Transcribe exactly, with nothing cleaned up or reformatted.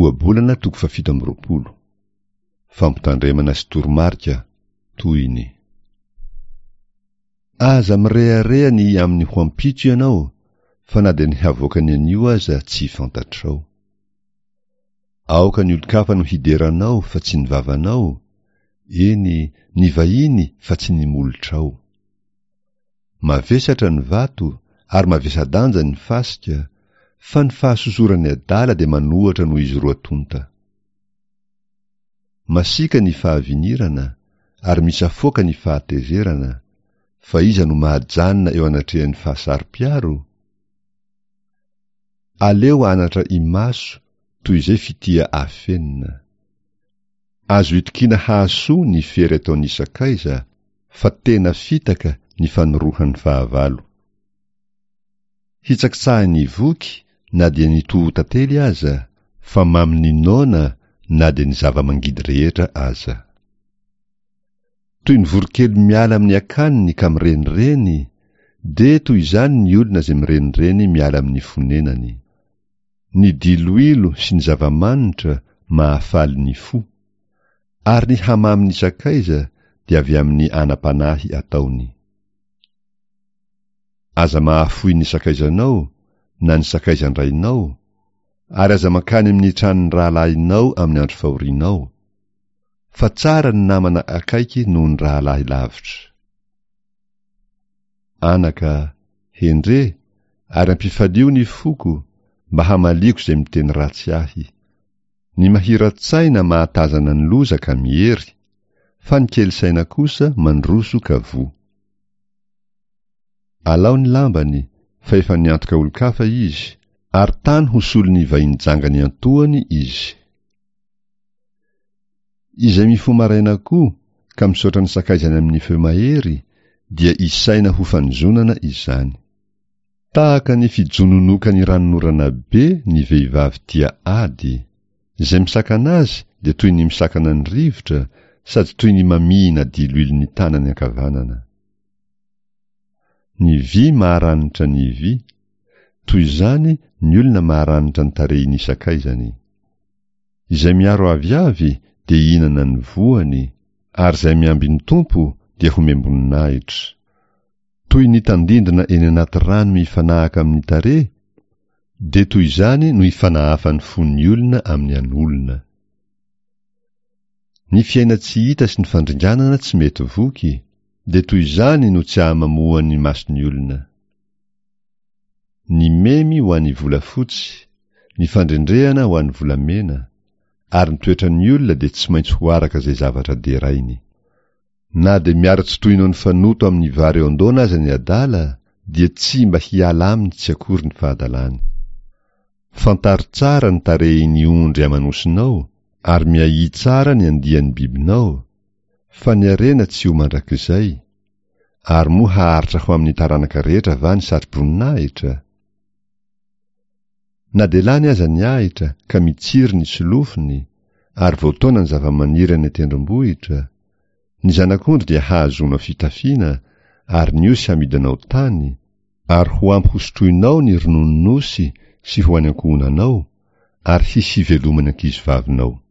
Ohabolana toko fahafito amby roapolo. Fampitandremana sy toromarika, tohiny. Aza mirehareha ny amin'ny ho ampitso ianao, fa na dia ny havoakan'ny anio aza tsy fantatrao. Aoka ny olon-kafa no hidera anao fa tsy ny vavanao, eny, ny vahiny fa tsy ny molotrao. Mavesatra ny vato ary mavesa-danja ny fasika, fa ny fahasosoran'ny adala dia manohatra noho izy roa tonta. Masiaka ny fahavinirana ary misafoaka ny fahatezerana, fa iza no mahajanona eo anatrehan'ny fahasaro-piaro? Aleo anatra imaso toy izay fitia afenina. Azo itokiana hahasoa ny fery ataon'ny sakaiza, fa tena fitaka ny fanorohan'ny fahavalo. Hitsakitsahin'ny voky na dia ny toho-tantely aza, fa mamin'ny noana na dia ny zava-mangidy rehetra aza. Toy ny voronkely miala amin'ny akaniny ka mirenireny, dia toy izany ny olona izay mirenireny miala amin'ny fonenany. Ny diloilo sy ny zava-manitra mahafaly ny fo, ary ny hamamin'ny sakaiza dia avy amin'ny anam-panahy ataony. Aza mahafoy ny sakaizanao na ny sakaizan-drainao, ary aza mankany amin'ny tranon'ny rahalahinao amin'ny andro fahorianao, fa tsara ny namana akaiky noho ny rahalahy lavitra. Anaka, hendre, ary ampifalio ny foko, mba hamaliako izay miteny ratsy ahy. Ny mahira-tsaina mahatazana ny loza ka miery, fa ny kely saina kosa mandroso ka voa. Alao ny lambany, fa efa niantoka olon-kafa izy, ary tany ho solon'ny vahiny janga niantohany izy. Izay mifoha maraina koa ka misaotra ny sakaizany amin'ny feo mahery, dia isaina ho fanozonana izany. Tahaka ny fijononokan'ny ranonorana be ny vehivavy tia ady. Izay misakana azy dia toy ny misakana ny rivotra, sady toy ny mamihina diloilo ny tanany ankavanana. Ny vy maharanitra ny vy, toy izany ny olona maharanitra ny tarehin'ny sakaizany. Izay miaro aviavy dia hihinana ny voany, ary izay miambin'ny Tompo dia homem-boninahitra. Toy ny tandindona eny anaty rano mifanahaka amin'ny tarehy, dia toy izany no ifanahafan'ny fon'ny olona amin'ny an'olona. Ny fiaina-tsy hita sy ny fandringanana tsy mety voky, dia toy izany no tsy ahamamoan'ny mason'ny olona. Ny memy ho an'ny volafotsy, ny fandrendrehana ho an'ny volamena, ary ny toetran'ny olona dia tsy maintsy ho araka izay zavatra derainy. Na dia miara-tsy toy noho ny fanoto amin'ny vary eo an-doana aza ny adala, dia tsy mba hiala aminy tsy akory ny fahadalany. Fantaro tsara ny tarehin'ny ondry aman'osinao, ary miahia tsara ny andian'ny bibinao, fa ny harena tsy ho mandrakizay, ary moa haharitra ho amin'ny taranaka rehetra va ny satroboninahitra? Na dia lany aza ny ahitra ka mitsiry ny solofony, ary voataona ny zavamaniry any an-tendrombohitra, ny zanak'ondry dia hahazoanao fitafiana, ary ny osy hamidinao tany, ary ho ampy hosotroinao ny rononon'osy sy ho an'ny ankohonanao, ary hisy hiveloman'ny ankizivavinao.